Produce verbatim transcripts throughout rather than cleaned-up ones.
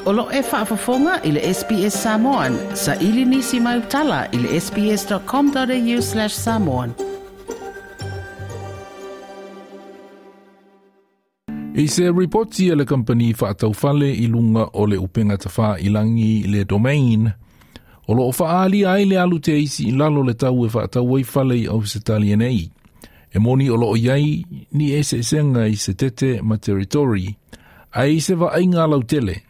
O lo e faafofoga i le S B S Samoan, sa ili nisi mai utala i le sbs.com.au slash samoan. I se ripoti a le kampani whaataufale i lunga o le upenga tawha i langi le domain, o loo whaali ai le alu te isi i lalo le tau e whaatau fale i Ausitalia nei. E moni o loo iai ni e se senga i se tete ma territory, ai se va ainga lau tele,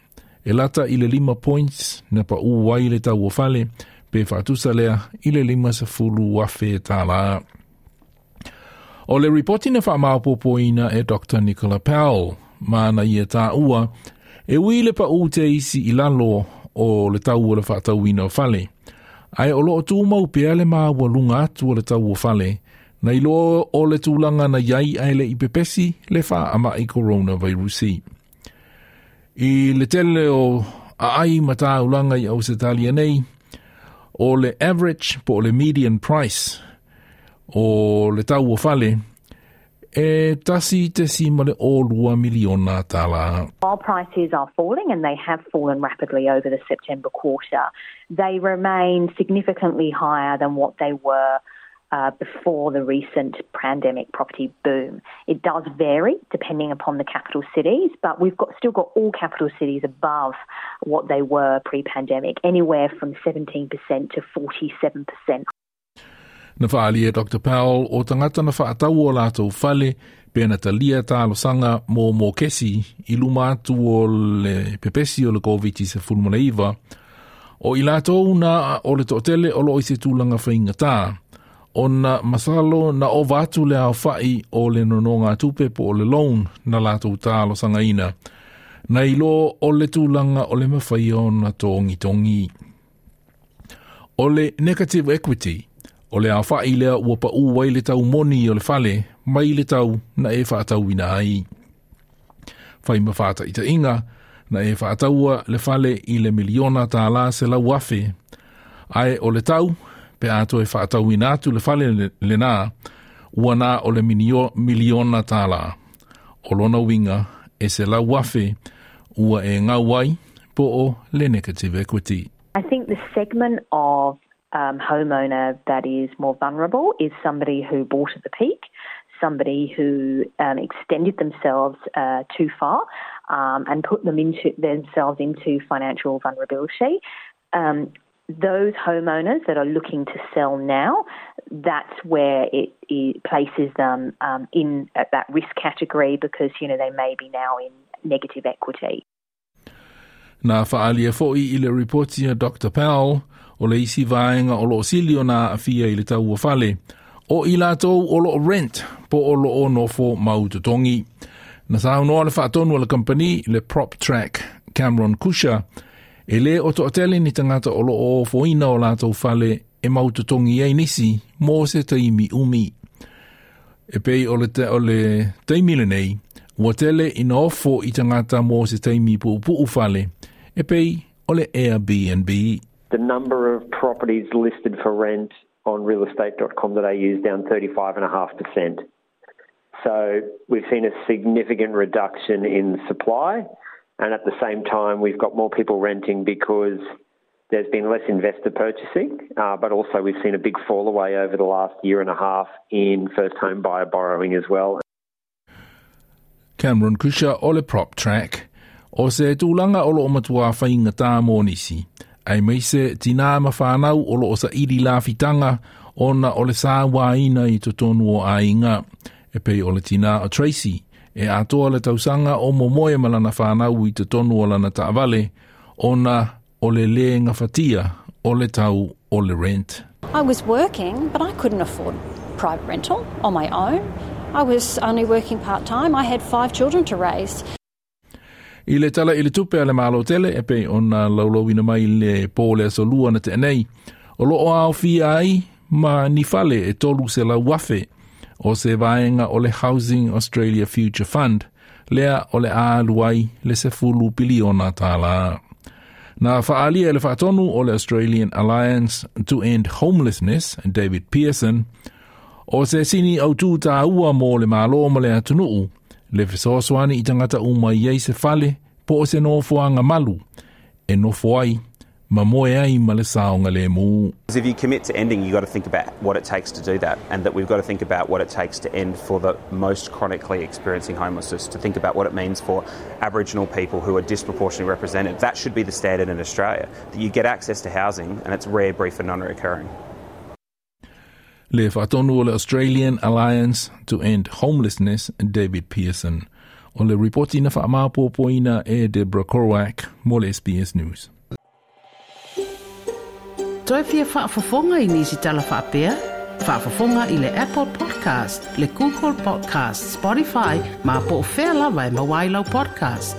e lata i le lima points na pa uwai le tau o fale, pe whaatusa lea i le lima sa fulu wafe tāla. O le ripoti na whaamaupopoina e Doctor Nicola Powell, mana ia tā ua, e ui le pa u te isi i lalo o le tau o le whaatauina o fale. Ai o loo tūmau pea le maua lunga atu o le tau o fale, na ilo o le tūlanga na iai ai le ipepesi le wha ama i coronavirusi. I le tele o aai mataulanga i Ausitalia nei, o le average po o le median price o le tau o fale, e tasi te sima le o lua miliona tala. While prices are falling, and they have fallen rapidly over the September quarter, they remain significantly higher than what they were Uh, before the recent pandemic property boom. It does vary depending upon the capital cities, but we've got still got all capital cities above what they were pre-pandemic, anywhere from seventeen percent to forty-seven percent. Na whaali e Doctor Powell o tangata na whaatau o lātou fale pe na talia tālosanga mō mō kesi i luma atu o le pepesi o le COVID se fulmaleiva o i lātou na o le to'atele o lo i se tūlanga whainga tā. Ona masalo na ova atu le ao whai o le nononga tupe po o le loan na lātou tālosanga ina. Na ilo o le tūlanga o le mawhai o na tongi tongi. O le negative equity, o le ao whai lea ua pa uwai le tau moni o le fale, mai le tau na e whaatauina ai. Whai mawhata ita inga, na e whaataua le fale i le miliona tā la se lau afe. Ai o le tau, pe ato e whaatauina atu le fale le nā, ua nā o le minio, miliona tālā. O lona winga e se lau afe, ua e ngau ai, po o le negative equity. I think the segment of um, homeowner that is more vulnerable is somebody who bought at the peak, somebody who um, extended themselves uh, too far um, and put them into themselves into financial vulnerability. Um, Those homeowners that are looking to sell now, that's where it, it places them um, in at that risk category because, you know, they may be now in negative equity. Nā whaalia foi i le ripoti a Doctor Powell o le isi vaenga o loo silio nā awhia i le tau o fale, o i lātou o loo rent po o loo nofo mautotongi. Na saunoa le whaatonu o le company, le PropTrack Cameron Kusha, e le o to'atele ni tangata o loo foina o lātou fale e mautotongi ai nisi mō se taimi umi. E pei o le, te, o le taimi le nei, ua tele ina ofo i tangata mō se taimi pu'upu'u fale, e pei o le Airbnb. The number of properties listed for rent on real estate dot com dot a u is down thirty-five point five percent. So we've seen a significant reduction in supply. And at the same time, we've got more people renting because there's been less investor purchasing, uh, but also we've seen a big fall away over the last year and a half in first home buyer borrowing as well. Cameron Kusha o le PropTrack, o se tūlanga o lo o matua whainga tā mōnisi. Ai meise tina ma whanau o lo o sa iri lawhitanga ona o le sā wāina i totonu o ainga. E pei o le tina o Tracy, e atoa le tausanga o momoe malana whanau i te tonu o lana ta'avale, ona o le le ngawhatia o le tau o le rent. I was working, but I couldn't afford private rental on my own. I was only working part-time. I had five children to raise. I le tala i le tupe a le malo tele, e pei ona laulauina mai le pō le aso lua na te nei, o loo ao fia ai ma ni fale e tolu se lau wafe, o se vaenga o le Housing Australia Future Fund, lea o le aluai le se fulu piliona tālā. Nā whaalia e le whaatonu o le Australian Alliance to End Homelessness, David Pearson, o se sini au tū tā ua mō le mālo ma le atunuu, le fesoasoani i tangata uma iei se fale Po o se nofoaga malu e nofo ai ma moe ai ma le saogalemu. If you commit to ending, you've got to think about what it takes to do that, and that we've got to think about what it takes to end for the most chronically experiencing homelessness, to think about what it means for Aboriginal people who are disproportionately represented. That should be the standard in Australia, that you get access to housing and it's rare, brief and non-recurring. Le faatonu o le Australian Alliance to End Homelessness, David Pearson. O le ripoti na faamaopoopoina e Deborah Korwak mo le S B S News. Toe fia faafofoga i nisi tala faapea? Faafofoga i le Apple Podcast, le Google Podcast, Spotify, ma po o fea lava e maua ai lau podcast.